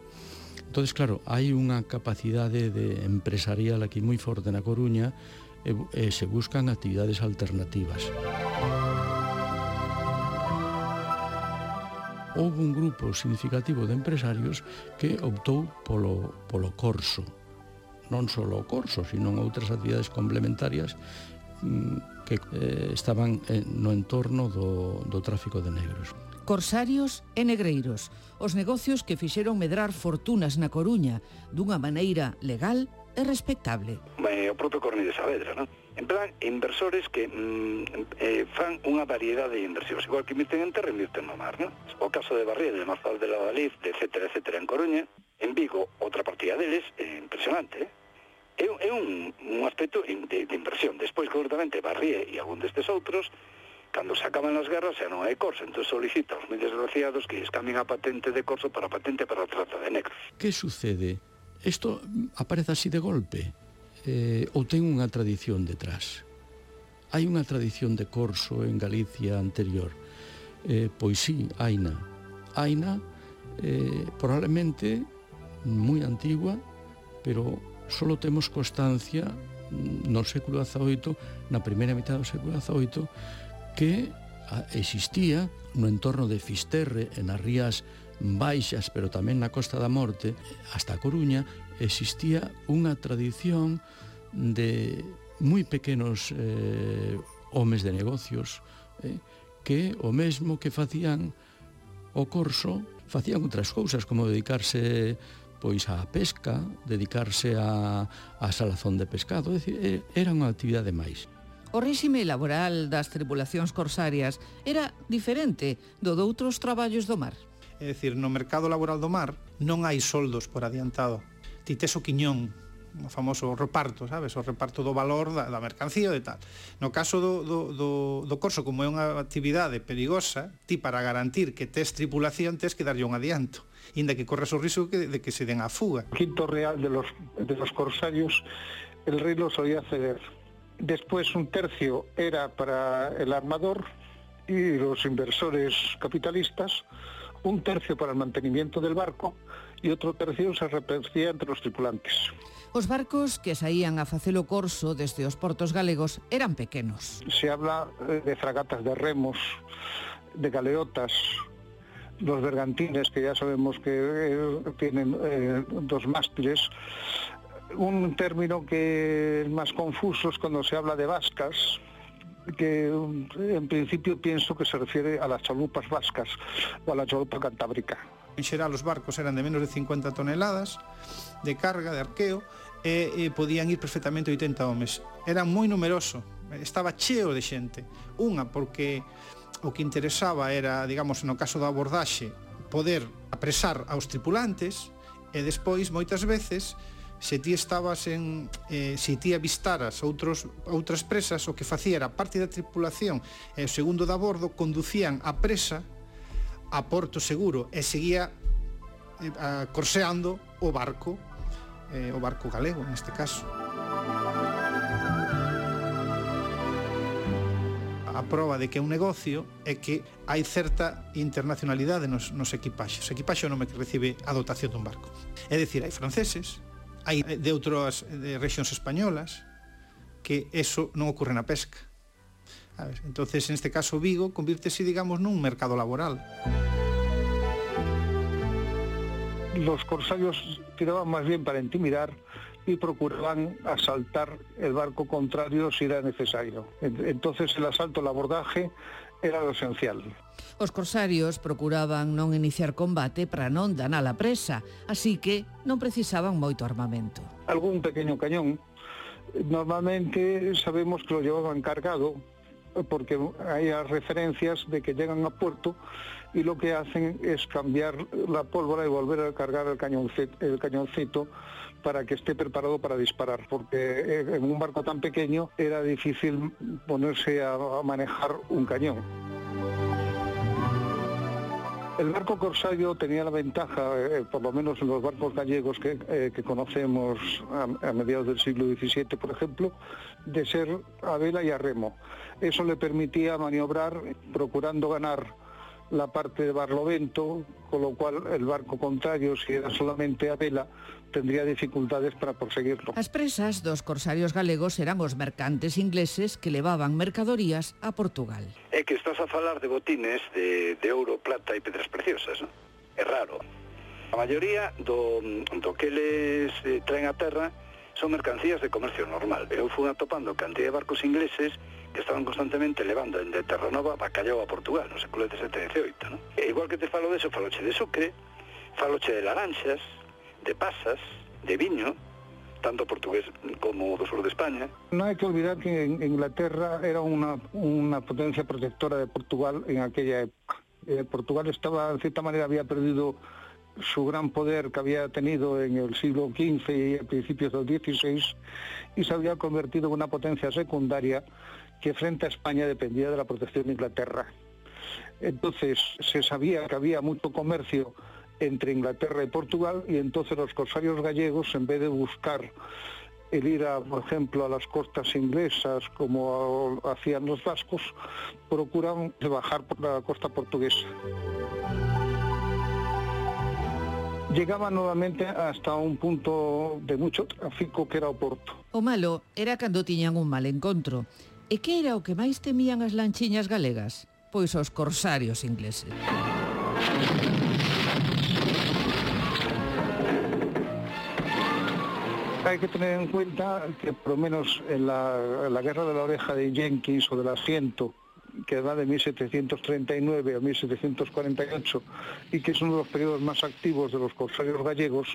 Entonces, claro, hai unha capacidade de empresarial aquí moi forte na Coruña e, e se buscan actividades alternativas. Houve un grupo significativo de empresarios que optou polo, polo corso. Non só o corso, sino outras actividades complementarias que eh, estaban eh, no entorno do, do tráfico de negros. Corsarios e negreiros, os negocios que fixeron medrar fortunas na Coruña dunha maneira legal e respectable. É o propio Cornide Saavedra, non? En plan, inversores que mm, eh, fan unha variedade de inversións, igual que invirten en terra, invirten no mar, non? O caso de Barrié, de Mazal de la Valif, de etcétera, etcétera, en Coruña, en Vigo, outra partida deles, é impresionante, eh? É, é un, un aspecto de, de inversión. Despois, concretamente, Barrié e algún destes outros, cando se acaban as guerras, xa non hai corso, entón solicita aos moi desgraciados que escambien a patente de corso para a patente para a trata de negros. Que sucede? Isto aparece así de golpe? Eh, ou ten unha tradición detrás? Hai unha tradición de corso en Galicia anterior? Eh, pois sí, haina. Haina, eh, probablemente moi antigua, pero só temos constancia no século dezaoito, na primeira mitad do século dezaoito, que existía no entorno de Fisterre, en as rías baixas, pero tamén na Costa da Morte, hasta a Coruña, existía unha tradición de moi pequenos eh, homes de negocios eh, que o mesmo que facían o corso, facían outras cousas, como dedicarse pois á pesca, dedicarse a, a salazón de pescado, é dicir, era unha actividade máis. O réxime laboral das tripulacións corsarias era diferente do doutros traballos do mar. É dicir, no mercado laboral do mar non hai soldos por adiantado. Ti tes o quiñón, o famoso reparto, sabes? O reparto do valor da, da mercancía e tal. No caso do, do, do, do corso, como é unha actividade perigosa, ti para garantir que tes tripulación tes que darlle un adianto, inda que corres o risco de, de que se den a fuga. Quinto real de los, de los corsarios, el rey lo solía ceder. Después un tercio era para el armador y los inversores capitalistas, un tercio para el mantenimiento del barco y otro tercio se repartía entre los tripulantes. Os barcos que saían a facelo corso desde os portos galegos eran pequenos. Se habla de fragatas de remos, de galeotas, los bergantines, que ya sabemos que eh, tienen eh, dos mástiles. Un término que es más confuso es cuando se habla de vascas, que en principio pienso que se refiere a las chalupas vascas o a la chalupa cantábrica. En xeral, os barcos eran de menos de cincuenta toneladas de carga, de arqueo, e, e podían ir perfectamente oitenta homes. Era moi numeroso, estaba cheo de xente. Unha, porque o que interesaba era, digamos, no caso da abordaxe, poder apresar aos tripulantes, e despois, moitas veces, se ti estabas en eh, se ti avistaras outros, outras presas, o que facía era parte da tripulación e o segundo da bordo conducían a presa a porto seguro e seguía eh, corseando o barco eh, o barco galego neste caso. A proba de que é un negocio é que hai certa internacionalidade nos, nos equipaxes. O equipaxe é o nome que recibe a dotación dun barco. É dicir, hai franceses, hai de outras de rexións españolas, que eso non ocorre na pesca. A ver, entonces, en este caso, Vigo convírtese, digamos, nun mercado laboral. Los corsarios tiraban más bien para intimidar y procuraban asaltar el barco contrario si era necesario. Entonces el asalto, el abordaje era lo esencial. Os corsarios procuraban non iniciar combate para non danar a presa, así que non precisaban moito armamento. Algún pequeño cañón, normalmente sabemos que lo llevaban cargado, porque hay referencias de que llegan a puerto y lo que hacen es cambiar la pólvora y volver a cargar el cañoncito, el cañoncito para que esté preparado para disparar, porque en un barco tan pequeño era difícil ponerse a manejar un cañón. El barco corsario tenía la ventaja, eh, por lo menos en los barcos gallegos que, eh, que conocemos a, a mediados del siglo diecisiete, por ejemplo, de ser a vela y a remo. Eso le permitía maniobrar procurando ganar la parte de barlovento, con lo cual el barco contrario, si era solamente a vela, tendría dificultades para proseguirlo. As presas dos corsarios galegos eran os mercantes ingleses que levaban mercadorías a Portugal. É que estás a falar de botines de, de ouro, plata e pedras preciosas, non? É raro. A maioría do, do que eles eh, traen a terra son mercancías de comercio normal. Eu fui atopando cantidad de barcos ingleses que estaban constantemente levando de Terranova bacallao a Portugal no século dezasete e dezioito, non? E igual que te falo de eso, faloche de sucre, faloche de laranxas, de pasas, de viño, tanto portugués como do sur de España. No hay que olvidar que Inglaterra era una, una potencia protectora de Portugal en aquella época. Eh, Portugal estaba, en cierta manera, había perdido su gran poder que había tenido en el siglo quince y a principios del dieciséis y se había convertido en una potencia secundaria que frente a España dependía de la protección de Inglaterra. Entonces se sabía que había mucho comercio entre Inglaterra y Portugal y entonces los corsarios gallegos, en vez de buscar el ir, a, por ejemplo, a las costas inglesas como a, hacían los vascos, procuran bajar por la costa portuguesa. Llegaba nuevamente hasta un punto de mucho tráfico que era o Porto. O malo era cando tiñan un mal encontro. E que era o que máis temían as lanchiñas galegas? Pois os corsarios ingleses. Hay que tener en cuenta que por lo menos en la, en la guerra de la oreja de Jenkins o del asiento, que va de mil setecientos treinta y nueve a mil setecientos cuarenta y ocho y que es uno de los periodos más activos de los corsarios gallegos,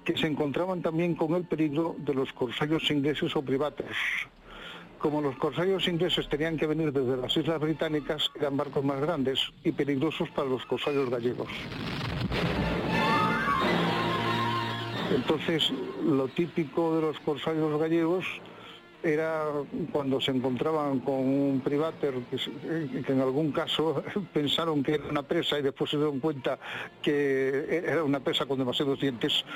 que se encontraban también con el peligro de los corsarios ingleses o privatos. Como los corsarios ingleses tenían que venir desde las Islas Británicas, eran barcos más grandes y peligrosos para los corsarios gallegos. Entonces, lo típico de los corsarios gallegos era cuando se encontraban con un privater que, que en algún caso pensaron que era una presa y después se dieron cuenta que era una presa con demasiados dientes,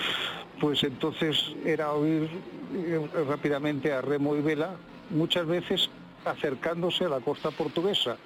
pues entonces era huir rápidamente a remo y vela, muchas veces acercándose a la costa portuguesa.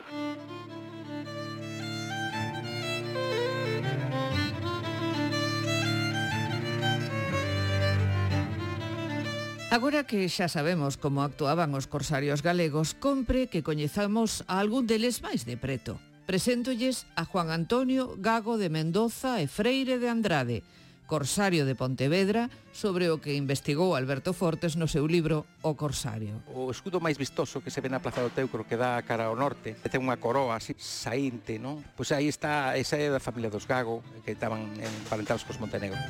Agora que xa sabemos como actuaban os corsarios galegos, compre que coñezamos a algún deles máis de preto. Preséntolles a Juan Antonio Gago de Mendoza e Freire de Andrade, corsario de Pontevedra, sobre o que investigou Alberto Fortes no seu libro O Corsario. O escudo máis vistoso que se ve na Plaza do Teucro, que dá cara ao norte, que ten unha coroa así saínte, non? Pois aí está, esa é da familia dos Gago, que estaban emparentados cos Montenegro.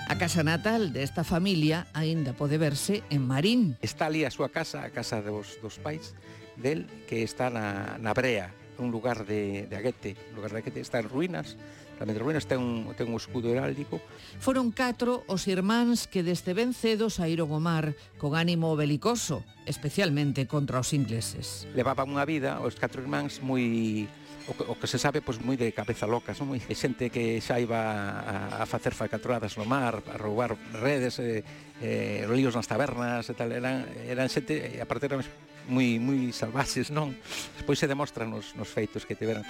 A casa natal desta familia aínda pode verse en Marín. Está ali a súa casa, a casa dos, dos pais del, que está na, na Brea, un lugar de, de Aguete, un lugar de Aguete, está en ruínas, Tamén de ruínas, ten un, ten un escudo heráldico. Foron catro os irmáns que desde ben cedo saíron ao mar con ánimo belicoso, especialmente contra os ingleses. Levaban unha vida, os catro irmáns, moi... O que, o que se sabe, pois, moi de cabeza locas, non? Moi xente que xa iba a, a facer falcatruadas no mar, a roubar redes, eh, eh, líos nas tabernas e tal. Eran, eran xente, a parte eran moi, moi salvaxes, non? Despois se demostran nos, nos feitos que tiveran.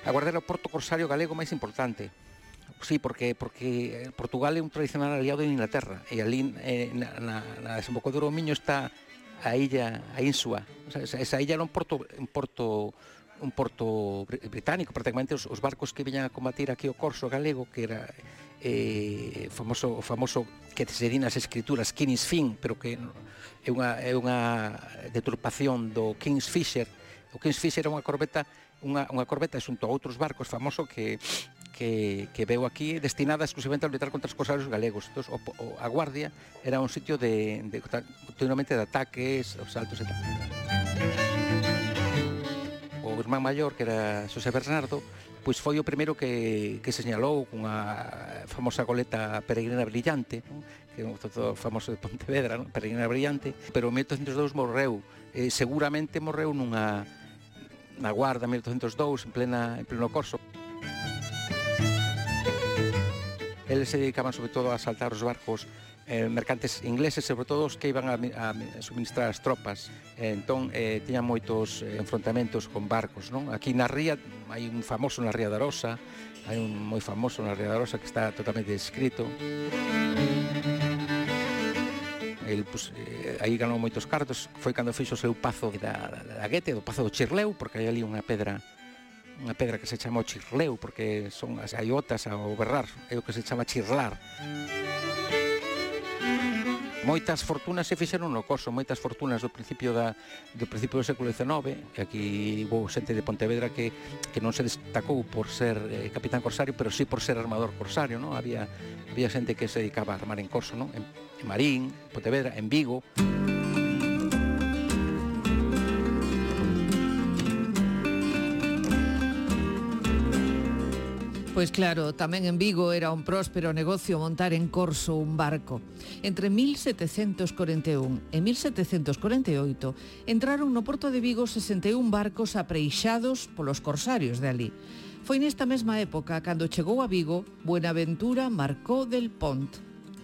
A Guarda era o porto corsario galego máis importante. Sí, porque porque Portugal é un tradicional aliado de Inglaterra e ali eh, na, na, na desembocadura do Miño está a illa, a Insua. O sea, esa, esa illa era un porto, un porto, un porto británico, prácticamente os, os barcos que viñan a combatir aquí o corso galego, que era eh, famoso, o famoso que se di nas escrituras King's Fin, pero que é unha, é unha deturpación do King's Fisher. O King's Fisher era unha corbeta, unha, unha corbeta xunto a outros barcos famoso que que, que veu aquí destinada exclusivamente a lutar contra os corsarios galegos. Entón, o, o, a Guardia era un sitio de, de, continuamente de ataques, os saltos e tal. O irmán maior, que era Xosé Bernardo, pois foi o primeiro que, que señalou cunha famosa goleta peregrina brillante, non? Que é un todo famoso de Pontevedra, non? Peregrina brillante, pero en mil oitocentos e dous morreu, eh, seguramente morreu nunha na Guarda en mil oitocentos e dous, en plena en pleno corso. Eles se dedicaban sobre todo a asaltar os barcos eh, mercantes ingleses, sobre todo os que iban a, a suministrar as tropas. Eh, entón, eh, tiñan moitos eh, enfrontamentos con barcos, non? Aquí na ría, hai un famoso na Ría da Arosa, hai un moi famoso na Ría da Arosa que está totalmente descrito. El, pues, eh, aí ganou moitos cartos, foi cando fixo o seu pazo da, da, da Guete, do pazo do Chirleu, porque hai ali unha pedra unha pedra que se chama o Chirleu, porque son as aiotas ao berrar, é o que se chama chirlar. Moitas fortunas se fixeron no corso, moitas fortunas do principio da do principio do século diecinueve, e aquí hubo xente de Pontevedra que, que non se destacou por ser eh, capitán corsario, pero sí por ser armador corsario, non? Había, había xente que se dedicaba a armar en corso, non? En, en Marín, Pontevedra, en Vigo. Pois claro, tamén en Vigo era un próspero negocio montar en corso un barco. Entre mil setecentos corenta e un e mil setecentos corenta e oito entraron no porto de Vigo sesenta e un barcos apreixados polos corsarios de alí. Foi nesta mesma época cando chegou a Vigo Buenaventura Marcó del Pont.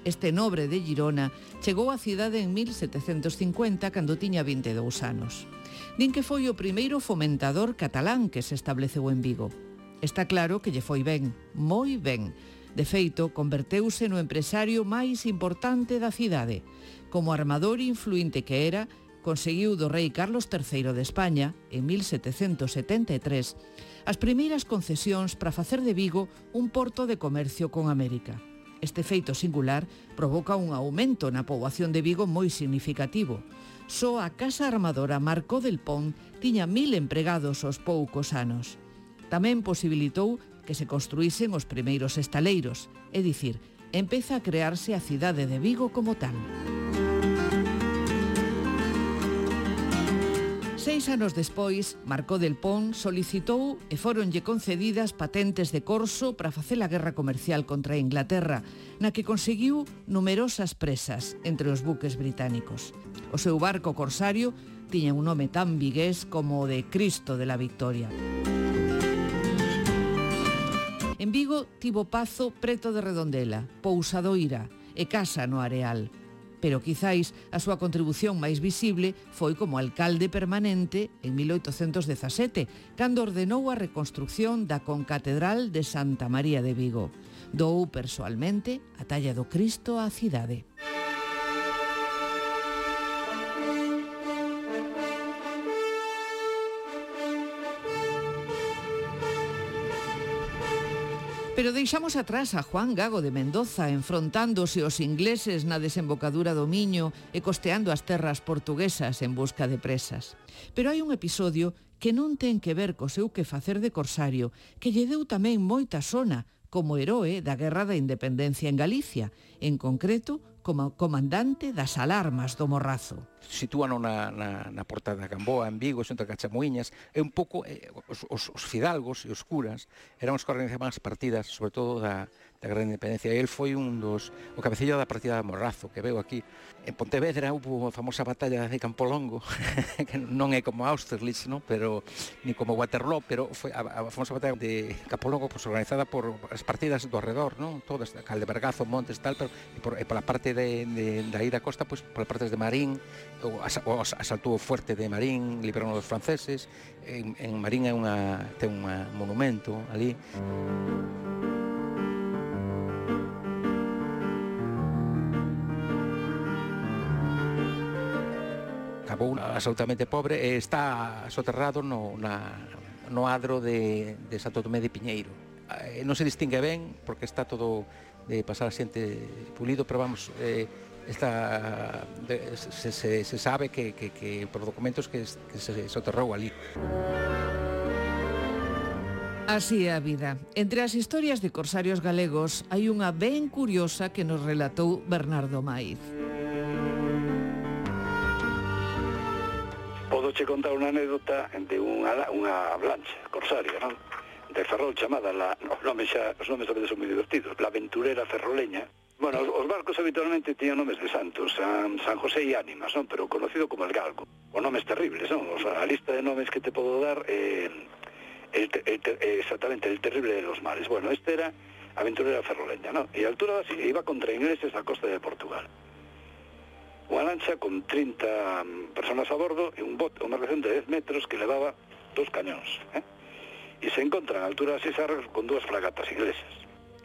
Este nobre de Girona chegou á cidade en mil setecentos cincuenta cando tiña vinte e dous anos. Din que foi o primeiro fomentador catalán que se estableceu en Vigo. Está claro que lle foi ben, moi ben. De feito, converteuse no empresario máis importante da cidade. Como armador influinte que era, conseguiu do rei Carlos terceiro de España, en mil setecentos setenta e tres, as primeiras concesións para facer de Vigo un porto de comercio con América. Este feito singular provoca un aumento na poboación de Vigo moi significativo. Só a casa armadora Marcó del Pont tiña mil empregados aos poucos anos. Tamén posibilitou que se construísen os primeiros estaleiros, é dicir, empeza a crearse a cidade de Vigo como tal. Seis anos despois, Marcó del Pont solicitou e foronlle concedidas patentes de corso para facer a guerra comercial contra a Inglaterra, na que conseguiu numerosas presas entre os buques británicos. O seu barco corsario tiña un nome tan vigués como o de Cristo de la Victoria. En Vigo tivo pazo preto de Redondela, Pousadoira e casa no Areal. Pero quizáis a súa contribución máis visible foi como alcalde permanente en mil oitocentos dezasete, cando ordenou a reconstrucción da concatedral de Santa María de Vigo. Doou persoalmente a talla do Cristo á cidade. Pero deixamos atrás a Juan Gago de Mendoza enfrontándose aos ingleses na desembocadura do Miño e costeando as terras portuguesas en busca de presas. Pero hai un episodio que non ten que ver co seu quefacer de corsario, que lle deu tamén moita sona como heroe da Guerra da Independencia en Galicia, en concreto como comandante das alarmas do Morrazo. Sitúano na, na, na Porta da Gamboa, en Vigo, xunto a Cachamuiñas. É un pouco, eh, os, os, os fidalgos e os curas eran os que organizaban as partidas, sobre todo da, da Gran Independencia. E el foi un dos, o cabecillo da partida de Morrazo, que veo aquí. En Pontevedra houve a famosa batalla de Campolongo, que non é como Austerlitz, ¿no? Pero ni como Waterloo, pero foi a, a famosa batalla de Campolongo, pues, organizada por as partidas do arredor, ¿no? Todas, Caldebergazo, Montes, tal, pero e por, e por a parte de, de, da ida costa, pues, por as partes de Marín, o, o asaltou o fuerte de Marín, liberaron os franceses. En, en Marín é unha, ten un monumento ali. Acabou absolutamente pobre e está soterrado no, na, no adro de, de Santo Tomé de Piñeiro. Eh, non se distingue ben porque está todo de pasar a xente pulido, pero vamos, eh, está, de, se, se, se sabe que, que, que por documentos que, que se soterrou ali. Así é a vida. Entre as historias de corsarios galegos hai unha ben curiosa que nos relatou Bernardo Maiz. Podoche contar unha anécdota de unha, unha avalancha corsaria, non? De Ferrol chamada, la, os nomes xa, os nomes tamén son moi divertidos, la aventurera ferroleña. Bueno, os, os barcos habitualmente tiñan nomes de santos, San, San José e Ánimas, non? Pero conocido como el Galgo. O nomes terribles, non? O sea, a lista de nomes que te podo dar é eh, el, el, el, exactamente el terrible de los mares. Bueno, este era aventurera ferroleña, non? E a altura así, iba contra ingleses da costa de Portugal. Unha lancha con trinta personas a bordo e un bote, unha embarcación de dez metros que levaba dos cañóns, eh? E se encontran a altura das Isargas con dúas fragatas inglesas.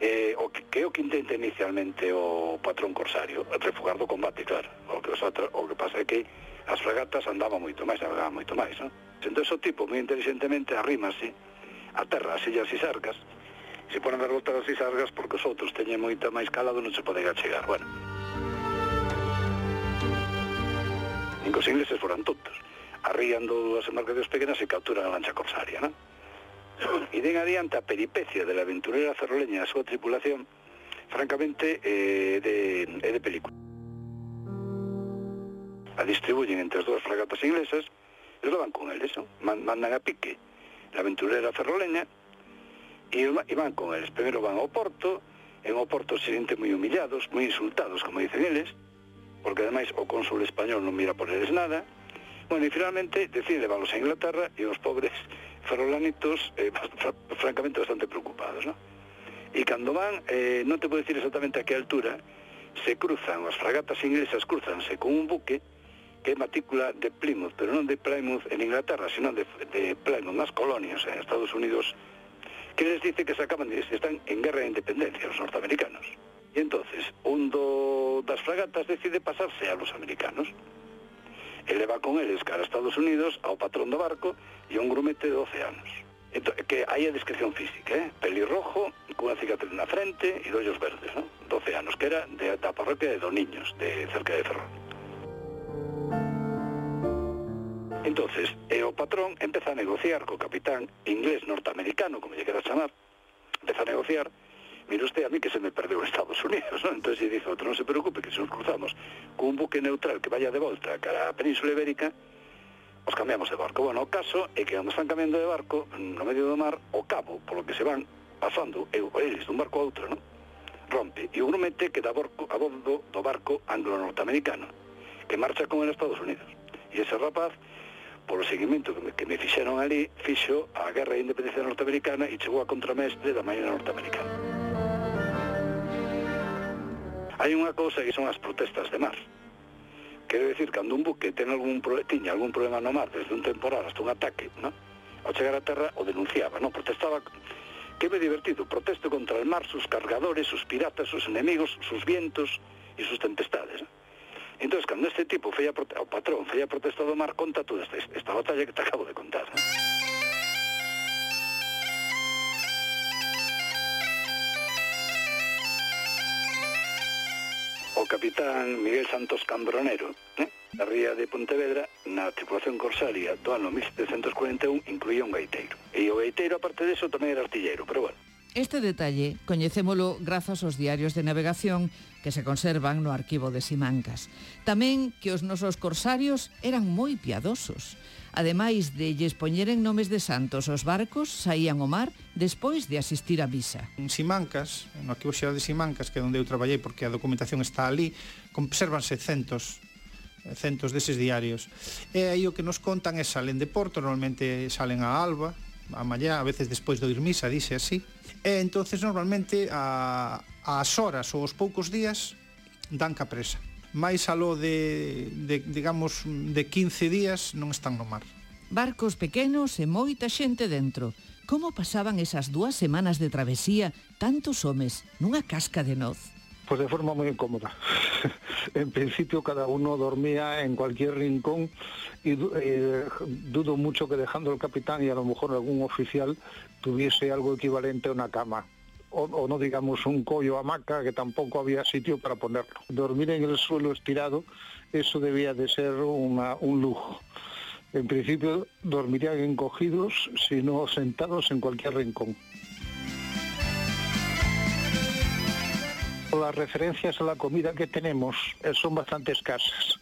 Eh, o que, que o que intenta inicialmente o patrón corsario? Refugar do combate, claro. O que, os atra, o que pasa é que as fragatas andaban moito máis, navegaban moito máis, non? Entón, o tipo, moi inteligentemente, arrímase a terra as illas Isargas, se ponen a dar volta das Isargas porque os outros teñen moita máis calado, non se poden achegar. Bueno, nin que os ingleses foran tontos. Arrían dúas embarcacións pequenas e capturan a lancha corsaria, non? E den adiante a peripecia de la aventurera ferroleña e a súa tripulación, francamente, é eh, de, eh, de película. A distribuyen entre as dúas fragatas inglesas e lo van con eles, non? Mandan a pique la aventurera ferroleña e van con eles. Primeiro van ao porto, en o porto se sienten moi humillados, moi insultados, como dicen eles, porque ademais o cónsul español non mira por eles nada. Bueno, e finalmente deciden leválos a Inglaterra e os pobres ferrolanitos eh, francamente bastante preocupados, ¿no? E cando van, eh, non te podo decir exactamente a que altura, se cruzan, as fragatas inglesas cruzanse con un buque que é matrícula de Plymouth, pero non de Plymouth en Inglaterra, sino de, de Plymouth nas colonias en Estados Unidos, que les dice que se acaban de, están en guerra de independencia los norteamericanos. E entonces, un do, das fragatas decide pasarse a los americanos. Ele va con eles cara a Estados Unidos, ao patrón do barco e a un grumete de doce anos. Entón, que hai a descripción física, eh? Pelirrojo, cunha cicatriz na frente e de ollos verdes, ¿no? doce anos, que era de, da parroquia de Doniños, de cerca de Ferrol. Entonces, e o patrón empeza a negociar co capitán inglés norteamericano, como lle quera chamar, empeza a negociar. Mire usted, a mí que se me perdeu en Estados Unidos, ¿no? Entonces dice outro, non se preocupe, que se nos cruzamos con un buque neutral que vaya de volta cara a Península Ibérica, os cambiamos de barco. Bueno, o caso é que cando están cambiando de barco, no medio do mar, o cabo, polo que se van pasando, eles dun barco a outro, ¿no? Rompe, e o grumete queda a bordo, a bordo do barco anglo-norteamericano, que marcha con el Estados Unidos. E ese rapaz, polo seguimento que me, que me fixeron ali, fixo a guerra de independencia norteamericana e chegou a contramestre da Marina norteamericana. Hai unha cousa que son as protestas de mar. Quero decir, cando un buque ten algún pro... tiña algún problema no mar, desde un temporal hasta un ataque, ¿no? Ao chegar a terra o denunciaba, ¿no? Protestaba, que é divertido, protesto contra el mar, sus cargadores, sus piratas, sus enemigos, sus vientos e sus tempestades, ¿no? Entón, cando este tipo feia prote... o patrón feia protesta do mar, conta toda esta, esta batalla que te acabo de contar, ¿no? O capitán Miguel Santos Cambronero, eh, da ría de Pontevedra, na tripulación corsaria do ano mil setecentos cuarenta e un, incluía un gaiteiro. E o gaiteiro, aparte deso, tamén era artilleiro, pero bueno. Este detalle coñecémolo grazas aos diarios de navegación que se conservan no arquivo de Simancas. Tamén que os nosos corsarios eran moi piadosos. Ademais de lles poñeren nomes de santos, os barcos saían ao mar despois de asistir á misa. En Simancas, no arquivo xeral de Simancas, que é onde eu traballei porque a documentación está ali, consérvanse centos centos deses diarios. E aí o que nos contan é salen de Porto, normalmente salen a alba, a mallá, a veces despois de oír misa, dice así. E entonces normalmente a, as horas ou os poucos días dan ca presa. Mais aló de, de, digamos, de quince días non están no mar. Barcos pequenos e moita xente dentro. Como pasaban esas dúas semanas de travesía tantos homes nunha casca de noz? Pues de forma muy incómoda. En principio cada uno dormía en cualquier rincón y eh, dudo mucho que dejando el capitán y a lo mejor algún oficial tuviese algo equivalente a una cama. O, o no digamos un collo hamaca, que tampoco había sitio para ponerlo. Dormir en el suelo estirado, eso debía de ser una, un lujo. En principio dormirían encogidos, sino sentados en cualquier rincón. Las referencias a la comida que tenemos son bastante escasas.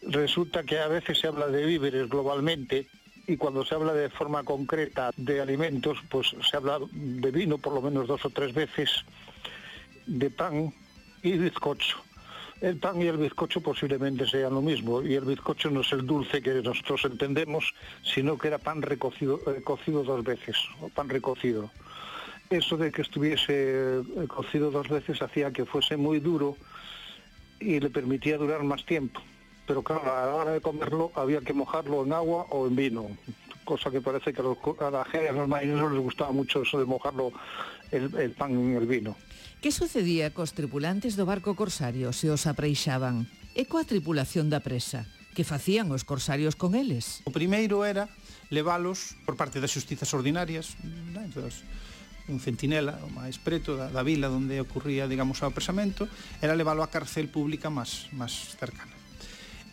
Resulta que a veces se habla de víveres globalmente y cuando se habla de forma concreta de alimentos, pues se habla de vino por lo menos dos o tres veces, de pan y bizcocho. El pan y el bizcocho posiblemente sean lo mismo, y el bizcocho no es el dulce que nosotros entendemos, sino que era pan recocido, eh, cocido dos veces, o pan recocido. Eso de que estuviese cocido dos veces hacía que fuese muy duro y le permitía durar más tiempo. Pero claro, a la hora de comerlo había que mojarlo en agua o en vino, cosa que parece que a, los, a la gente, a los marineros les gustaba mucho eso de mojarlo el, el pan en el vino. Que sucedía cos tripulantes do barco corsario se os apreixaban? E coa tripulación da presa? Que facían os corsarios con eles? O primeiro era levalos por parte das xustizas ordinarias, entonces, un centinela, o máis preto da, da vila onde ocurría, digamos, o apresamento, era leválo á cárcel pública máis, máis cercana.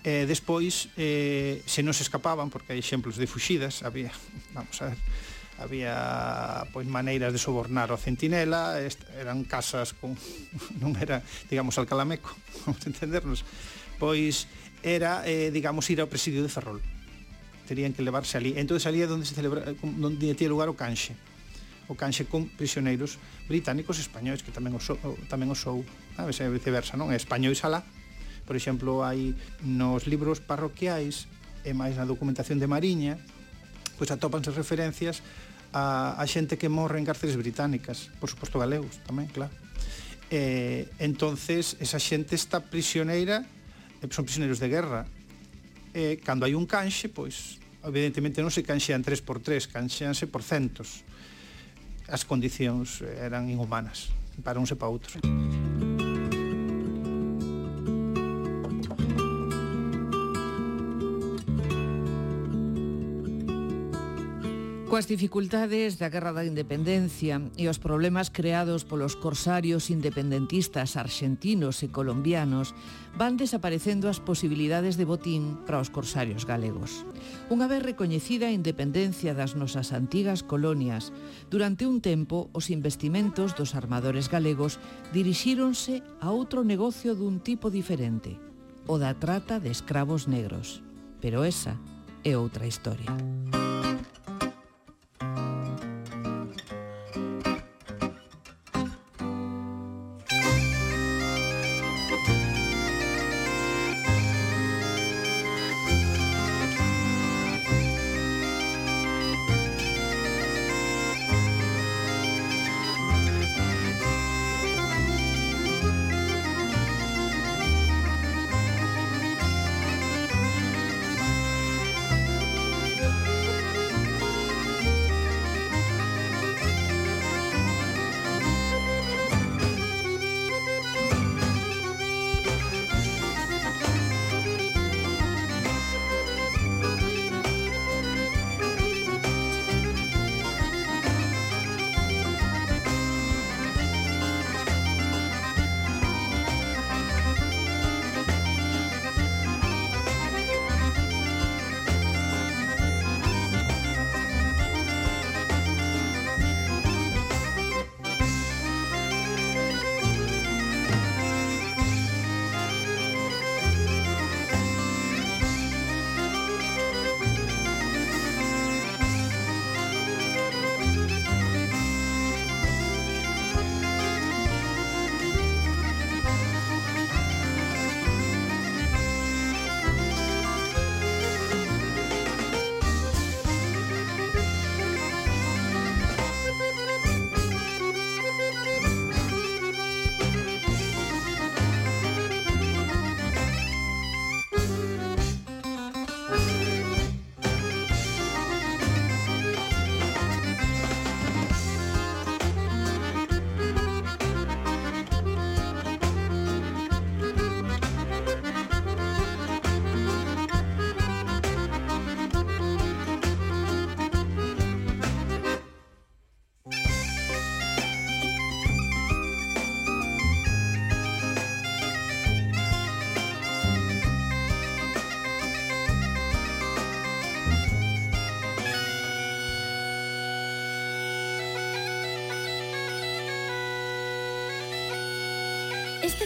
E despois, eh, se non se escapaban, porque hai exemplos de fuxidas, había, vamos a ver, había pois maneiras de sobornar ao centinela, est, eran casas con, non era, digamos, alcalameco, vamos a entendernos, pois era, eh, digamos, ir ao presidio de Ferrol. Terían que levarse ali. Entón, ali é onde se celebra, onde tía lugar o canxe. O canxe con prisioneiros británicos e españois, que tamén o sou, tamén o sou, a veces viceversa, non? Españois alá. Por exemplo, hai nos libros parroquiais e máis na documentación de Mariña, pois atópanse referencias a, a xente que morre en cárceles británicas, por suposto galegos tamén, claro. E, entonces, esa xente está prisioneira, son prisioneiros de guerra, e cando hai un canxe, pois, evidentemente non se canxean tres por tres, canxeanse por centos. As condicións eran inhumanas para uns e para outros. Coas dificultades da Guerra da Independencia e os problemas creados polos corsarios independentistas arxentinos e colombianos, van desaparecendo as posibilidades de botín para os corsarios galegos. Unha vez recoñecida a independencia das nosas antigas colonias, durante un tempo os investimentos dos armadores galegos dirixíronse a outro negocio dun tipo diferente, o da trata de escravos negros. Pero esa é outra historia.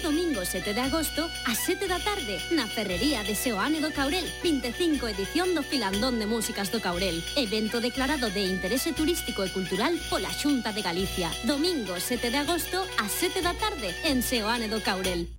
Este domingo sete de agosto, ás sete da tarde, na Ferrería de Seoane do Caurel, vinte e cinco edición do Filandón de Músicas do Caurel. Evento declarado de interese turístico e cultural pola Xunta de Galicia. Domingo sete de agosto, ás sete da tarde, en Seoane do Caurel.